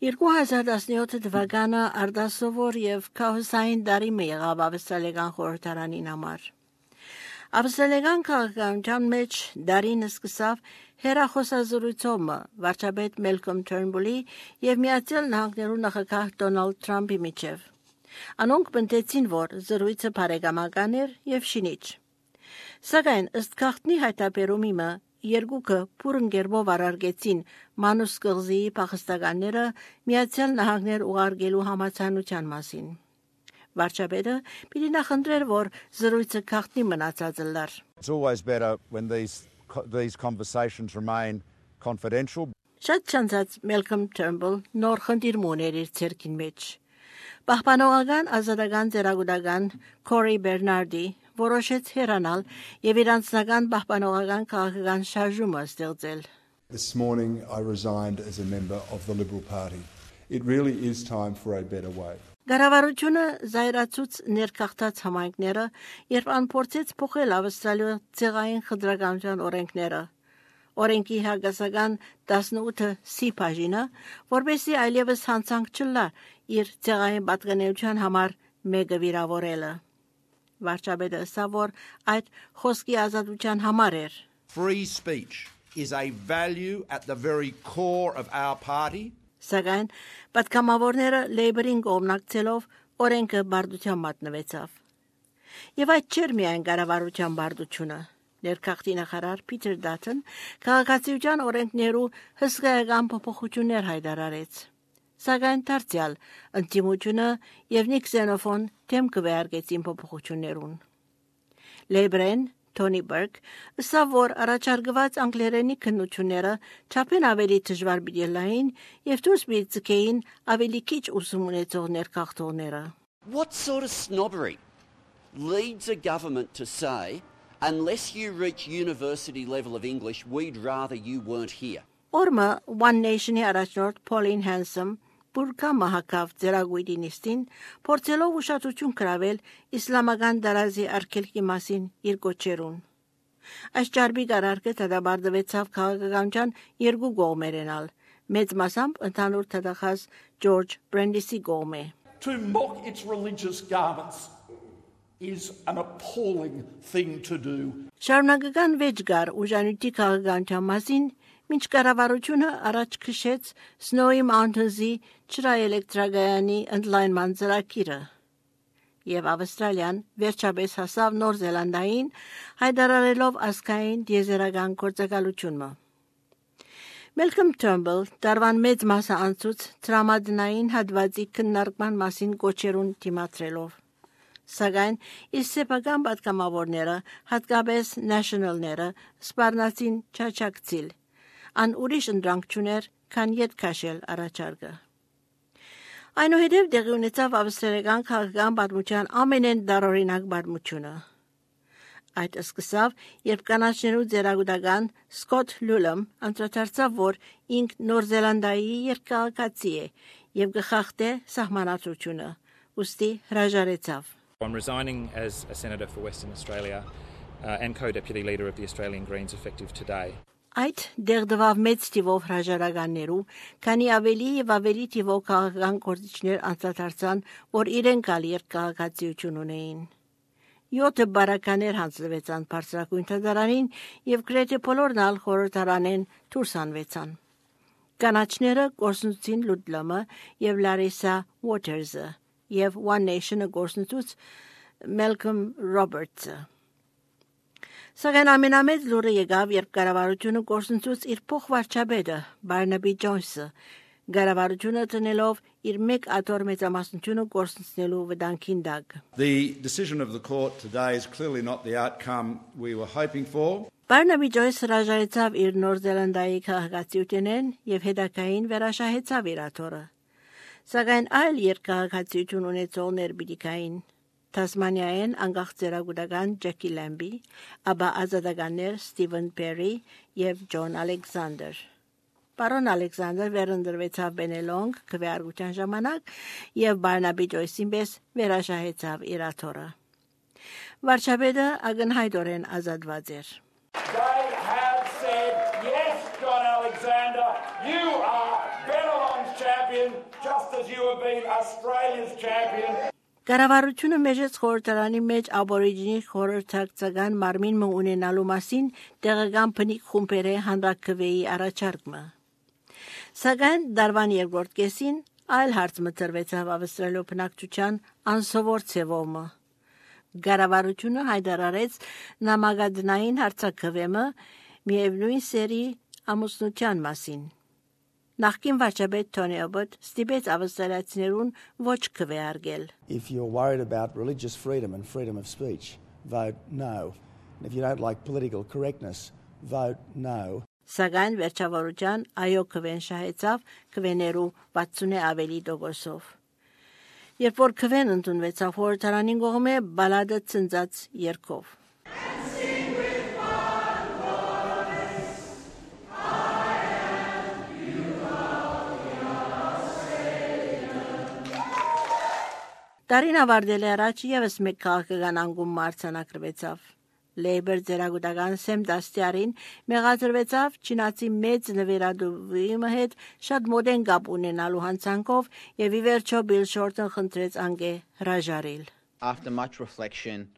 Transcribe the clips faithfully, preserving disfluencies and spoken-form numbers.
երկու հազար տասնյոթ թվականը արդասովոր եւ քաոսային տարի մի եղավ ավստրալիական խորհրդարանին համար։ Ավստրալիական քաղաքականության մեջ դարին սկսավ հերախոսազրույցումը վարչապետ Մելքոմ Թըրնբուլի եւ Միացյալ Նահանգներու նախագահ Դոնալդ Թրամփի միջև։ Անոնք բնտեցին, որ զրույցը բարեկամական էր եւ շինիչ։ Սակայն ըստ քաղտնի հայտարարումի երկուքը փուրընկերով արարգեցին Մանուս կղզիի փախստականները Միացյալ Նահանգներ ուղարկելու համաձայնության մասին։ Վարչապետը պիտի նախընտրեր, որ զրույցը քաղտնի մնացած լար։ It's always better when these these conversations remain confidential. Շատ չանցած Մելքոմ Թըրնբուլ նոր խնդիր ուներ իր ցերկին մեջ։ Պահպանողական ազատական ծերագուտական Կորի Բերնարդի որոշեց հեռանալ եւ իր անձնական պահպանողական քաղաքական շարժումը ստեղծել։ This morning I resigned as a member of the Liberal Party. It really is time for a better way. Գարավարությունը զայրացուց ներքախտած համայնքները, երբ անփորձեց փոխել Ավստրալիա ցեղային խտրականության օրենքները։ Օրենքի հագասական տասնութ սի բաժինը, որբեսի այլևս հանցանք չլա իր ցեղային պատկանելիության համար մեկը վիրավորելը։ Վարչապետը ասա, որ այդ խոսքի ազատության համար էր։ Free speech is a value at the very core of our party. Սակայն պատգամավորները Լեյբերին կողմնակցելով օրենքը բարդության մատնվեցավ։ Եվ այդ չէր միայն կառավարության բարդությունը։ Ներքախտի նախարար Փիթեր Դաթն քաղաքացիության օրենքներու հսկայական փոփոխություններ հայտարարեց։ Սակայն դարձյալ ընդդիմությունը եւ Նիքսենոֆոն թեմ կվերգեցին փոփոխություններուն։ Լեյբերեն Թոնի Բերկ ասա, որ առաջարկված անգլերենի քննությունները չափեն ավելի դժվար բիլային եւ դուրս բիծկեին ավելի քիչ ուսում ունեցող ներքախտողները։ What sort of snobbery leads a government to say, unless you reach university level of English, we'd rather you weren't here? Օրմը One Nation-ի առաջնորդ Pauline Hanson Բուրկա մահակավ ձերագույդինիստին փորձելով ուշադրություն կրավել իսլամական դարազի արգելքի մասին իր գոչերուն։ Այս ճարբի կարարկը դադարեցավ քաղաքականության երկու կողմերենալ, մեծ մասամբ ընդհանուր թդախած Ջորջ Բրենդիսի կողմէ։ To mock its religious garments is an appalling thing to do. Շարունակական վեճ գար ուժանույթի քաղաքականության մասին Մինչ կառավարությունը առաջ քշեց Snowy Mountains-ի ջրաէլեկտրագայանի ընդլայնման ծրագիրը, եւ Ավստրալիան վերջապես հասավ Նոր Զելանդիային հայտարարելով ազգային դիեզերական գործակալությունը։ Մելքոմ Թըրնբուլ դարվան մեծ մասը անցուց տրամադրային հատվածի քննարկման մասին գոչերուն դիմադրելով։ Սակայն իր սեփական պատգամավորները, հատկապես National-ները, սպառնացին չաչակցիլ։ Ան ուրիշ ընդրանք չուներ, քան ետ քաշել առաջարկը։ Այնուհետև դեղի ունեցավ ավստրալիական քաղաքական պատմության ամենեն դարօրինակ պատմությունը։ Այդ սկսավ, երբ կանաչներու ձերագուտական Սկոտ Լուլում անդրադարձավ, որ ինք Նոր Զելանդիայի երկքաղաքացի է եւ գխախտե սահմանադրությունը, ուստի հրաժարեցավ։ I'm resigning as a senator for Western Australia uh, and co-deputy leader of the Australian Greens effective today. Այդ դեղդվավ մեծ թիվով հրաժարականներու, քանի ավելի եւ ավելի թիվով քաղաքական գործիչներ անդրադարձան, որ իրենք ալ երկքաղաքացիություն ունեին։ Յոթ բարականեր հանձնվեցան բարձրակույն թատրոնին եւ գրեթե բոլորն ալ խորհրդարանեն դուրս հանվեցան։ Կանաչները գործունեություն Լուդլամը եւ Լարիսա Ուոթերսը եւ One Nation-ը գործունեություն Մելքոմ Ռոբերտսը։ Սակայն ամենամեծ լուրը եկավ, երբ կառավարությունը գործունեություն իր փոխվարչապետը Բարնաբի Ջոնսը կառավարությունը տնելով իր մեկ աթոռ մեծամասնությունը գործունեելու վտանգին դակ։ The decision of the court today is clearly not the outcome we were hoping for. Բարնաբի Ջոնսը հրաժարեցավ իր Նոր Զելանդիայի քաղաքացիությունեն եւ հետագային վերաշահեցավ իր աթոռը։ Սակայն այլ երկքաղաքացիություն ունեցողներ պիտի Թասմանիայեն անկախ ծերագուտական Ջեկի Լեմբի, ապա ազատականներ Ստիվեն Պերի եւ Ջոն Ալեքսանդր։ Պարոն Ալեքսանդր վերընտրվեցավ Բենելոնգ քվեարկության ժամանակ եւ Բարնաբի Ջոյսին պես վերաշահեցավ իր աթոռը։ Վարչապետը ակնհայտորեն ազատված էր։ They have said, yes, John Alexander, you are Bennelong's champion. champion, just as you have been Australia's champion. Կառավարությունը մեջեց խորհրդարանի մեջ աբորիջինի խորհրդակցական մարմին մը ունենալու մասին տեղական բնիկ խումբերի հանրակրվեի առաջարկը։ Սակայն դարվան երկրորդ կեսին այլ հարց մտրվեցավ ավստրալիո բնակչության անսովոր ցևոմը։ Կառավարությունը հայտարարեց նամակադրային հարցակվեմը միևնույն սերի ամուսնության մասին։ Նախկին վարչապետ Թոնի Աբոտ ստիպեց ավստրալիացիներուն ոչ քվեարկել։ If you're worried about religious freedom and freedom of speech, vote no. And if you don't like political correctness, vote no. Սակայն վերջավորության այո քվեն շահեցավ քվեներու վաթսունի ավելի տոկոսով։ Երբ որ քվեն ընդունվեցավ խորհրդարանին կողմէ բալադը ցնծած երգով։ Տարին ավարտել առաջ եւս մեկ քաղաքական անկում մարտանակրվեցավ։ Լեյբեր ձերագուտական Սեմ Դաստիարին մեղադրվեցավ չինացի մեծ նվիրատուի հետ շատ մոդեն կապ ունենալու հանցանքով եւ ի վերջո Բիլ Շորտոն խնդրեց անգե հրաժարել։ After much reflection,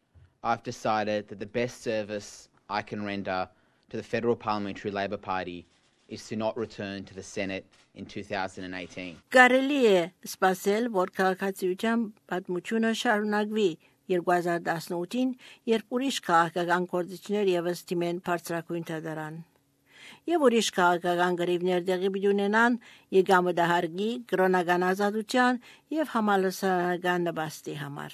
I've decided that the best service I can render to the Federal Parliamentary Labor Party is to not return to the Senate in two thousand eighteen. Կարելի է սպասել, որ քաղաքացիության պատմությունը շարունակվի երկու հազար տասնութին, երբ ուրիշ քաղաքական գործիչներ եւս դիմեն բարձրակույն դատարան։ Եվ ուրիշ քաղաքական գրիվներ տեղի ունենան եկամտահարգի, կրոնական ազատության եւ համալսարանական նպաստի համար։